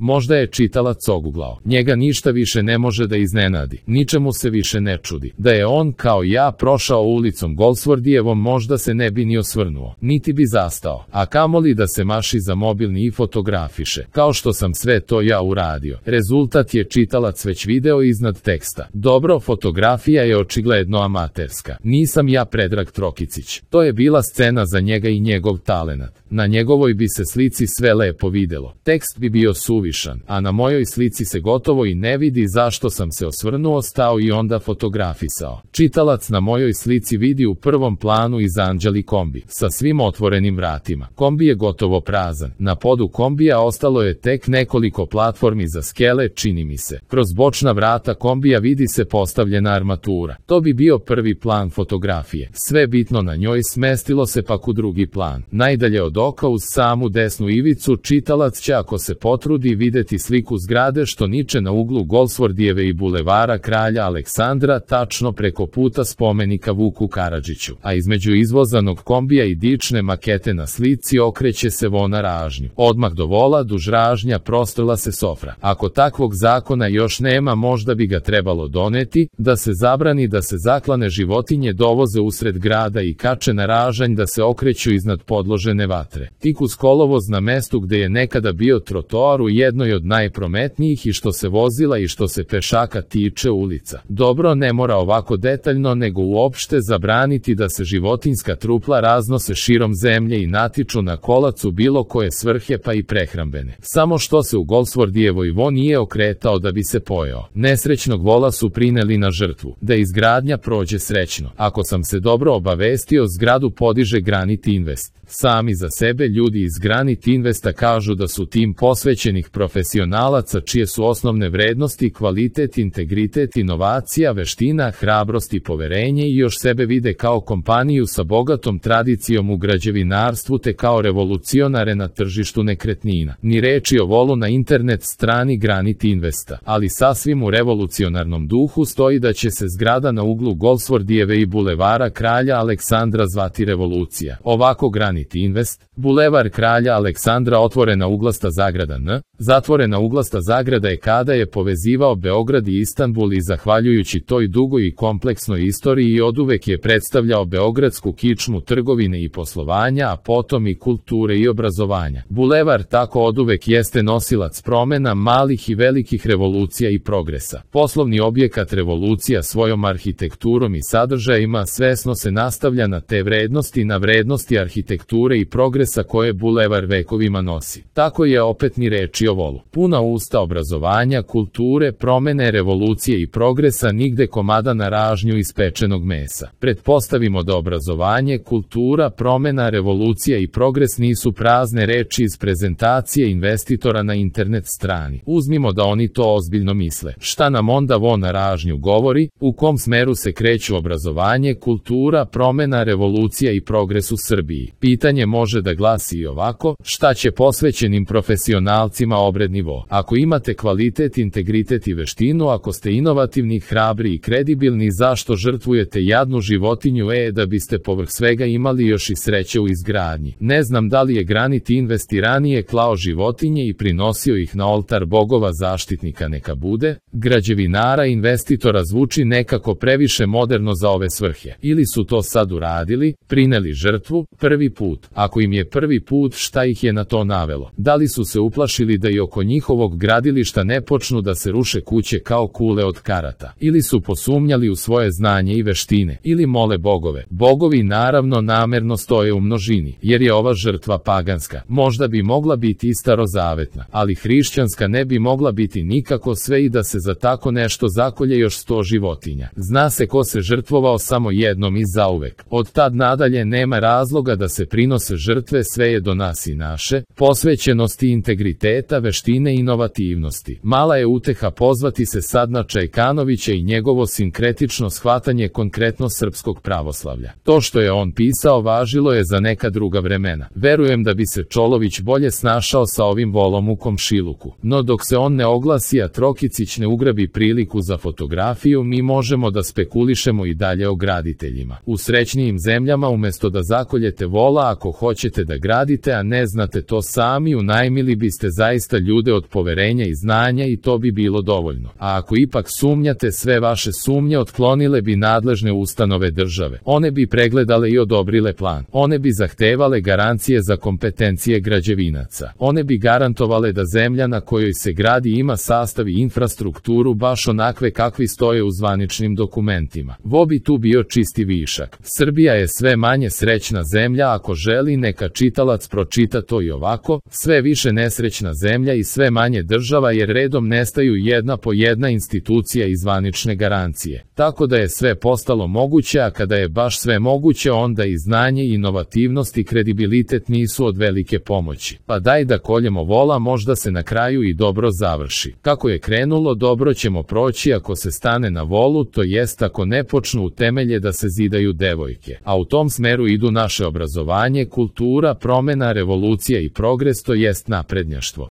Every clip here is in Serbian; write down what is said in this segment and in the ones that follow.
Možda je čitalac oguglao. Njega ništa više ne može da iznenadi. Ničemu se više ne čudi. Da je on, kao ja, prošao ulicom Goldsworthyjevom, možda se ne bi ni osvrnuo. Niti bi zastao. A kamoli da se maši za mobilni i fotografiše. Kao što sam sve to ja uradio. Rezultat je čitalac već video iznad teksta. Dobro, fotografija je očigledno amaterska. Nisam ja Predrag Trokicić. To je bila scena za njega i njegov talenat. Na njegovoj bi se slici sve lepo videlo. Tekst bi bio suvišan, a na mojoj slici se gotovo i ne vidi zašto sam se osvrnuo, stao i onda fotografisao. Čitalac na mojoj slici vidi u prvom planu iz Anđeli kombi, sa svim otvorenim vratima. Kombi je gotovo prazan. Na podu kombija ostalo je tek nekoliko platformi za skele, čini mi se. Kroz bočna vrata kombija vidi se postavljena armatura. To bi bio prvi plan fotografije. Sve bitno na njoj smestilo se pak u drugi plan. Najdalje od oka uz samu desnu ivicu čitalac će, ako se potrudi, videti sliku zgrade što niče na uglu Goldsworthyjeve i bulevara Kralja Aleksandra, tačno preko puta spomenika Vuku Karadžiću, a između izvozanog kombija i dične makete na slici okreće se vona ražnju. Odmah do vola duž ražnja prostrla se sofra. Ako takvog zakona još nema, možda bi ga trebalo doneti, da se zabrani da se zaklane životinje dovoze usred grada i kače na ražanj da se okreću iznad podložene vatre. Tik uz kolovoz na mestu gde je nekada bio trotoar u jednoj od najprometnijih i što se vozila i što se pešaka tiče ulica. Dobro, ne mora ovako detaljno, nego uopšte zabraniti da se životinjska trupla raznose širom zemlje i natiču na kolac u bilo koje svrhe, pa i prehrambene. Samo što se u Goldsworthyjevoj vo nije okretao da bi se pojeo. Nesrećnog vola su prineli na žrtvu. Da izgradnja prođe srećno. Ako sam se dobro obavestio, zgradu podiže Granit Invest. Sami za sebe ljudi iz Granit Investa kažu da su tim posvećenih profesionalaca čije su osnovne vrednosti kvalitet, integritet, inovacija, veština, hrabrost i poverenje i još sebe vide kao kompaniju sa bogatom tradicijom u građevinarstvu te kao revolucionare na tržištu nekretnina. Ni reči o volu na internet strani Granit Investa, ali sasvim u revolucionarnom duhu stoji da će se zgrada na uglu Goldsworthyjeve i bulevara Kralja Aleksandra zvati Revolucija. Ovako Granit Invest, bulevar Kralja Aleksandra, otvorena uglasta zagrada N, zatvorena uglasta zagrada je kada je povezivao Beograd i Istanbul i zahvaljujući toj dugoj i kompleksnoj istoriji oduvek je predstavljao beogradsku kičmu trgovine i poslovanja, a potom i kulture i obrazovanja. Bulevar tako oduvek jeste nosilac promena, malih i velikih revolucija i progresa. Poslovni objekat Revolucija svojom arhitekturom i sadržajima svesno se nastavlja na te vrednosti, na vrednosti arhitekture i progresa koje bulevar vekovima nosi. Tako je opet ni reči o volu. Puna usta obrazovanja, kulture, promene, revolucije i progresa, nigde komada na ražnju ispečenog mesa. Pretpostavimo da obrazovanje, kultura, promena, revolucija i progres nisu prazne reči iz prezentacije investitora na internet strani. Uzmimo da oni to ozbiljno misle. Šta nam onda vo na ražnju govori? U kom smeru se kreću obrazovanje, kultura, promena, revolucija i progres u Srbiji? Pitanje može da glasi i ovako: šta će posvećenim profesionalcima obred nivo? Ako imate kvalitet, integritet i veštinu, ako ste inovativni, hrabri i kredibilni, zašto žrtvujete jadnu životinju da biste povrh svega imali još i sreće u izgradnji? Ne znam da li je Granit Invest i ranije klao životinje i prinosio ih na oltar bogova zaštitnika, neka bude, građevinara, investitora, zvuči nekako previše moderno za ove svrhe. Ili su to sad uradili, prineli žrtvu, prvi put. Ako im je prvi put, šta ih je na to navelo? Da li su se uplašili da i oko njihovog gradilišta ne počnu da se ruše kuće kao kule od karata? Ili su posumnjali u svoje znanje i veštine? Ili mole bogove? Bogovi naravno namerno stoje u množini, jer je ova žrtva paganska. Možda bi mogla biti i starozavetna, ali hrišćanska ne bi mogla biti nikako, sve i da se za tako nešto zakolje još 100 životinja. Zna se ko se žrtvovao samo jednom i zauvek. Od tad nadalje nema razloga da se prinose žrtve, sve je do nas i naše, posvećenosti, integriteta, veštine i inovativnosti. Mala je uteha pozvati se sad na Čajkanovića i njegovo sinkretično shvatanje konkretno srpskog pravoslavlja. To što je on pisao važilo je za neka druga vremena. Verujem da bi se Čolović bolje snašao sa ovim volom u komšiluku. No dok se on ne oglasi, a Trokicić ne ugrabi priliku za fotografiju, mi možemo da spekulišemo i dalje o graditeljima. U srećnijim zemljama umesto da zakoljete vola, ako hoćete da gradite, a ne znate to sami, unajmili biste zaista zaista ljude od poverenja i znanja i to bi bilo dovoljno. A ako ipak sumnjate, sve vaše sumnje otklonile bi nadležne ustanove države. One bi pregledale i odobrile plan. One bi zahtevale garancije za kompetencije građevinaca. One bi garantovale da zemlja na kojoj se gradi ima sastav i infrastrukturu baš onakve kakvi stoje u zvaničnim dokumentima. Vo bi tu bio čisti višak. Srbija je sve manje srećna zemlja, ako želi neka čitalac pročita to i ovako, sve više nesrećna zemlja i sve manje država jer redom nestaju jedna po jedna institucija i zvanične garancije. Tako da je sve postalo moguće, a kada je baš sve moguće onda i znanje, inovativnost i kredibilitet nisu od velike pomoći. Pa daj da koljemo vola, možda se na kraju i dobro završi. Kako je krenulo, dobro ćemo proći ako se stane na volu, to jest ako ne počnu u temelje da se zidaju devojke. A u tom smeru idu naše obrazovanje, kultura, promena, revolucija i progres, to jest naprednjaštvo.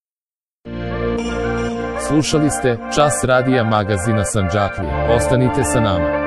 Slušali ste Čas radija magazina Sandžaklija. Ostanite sa nama.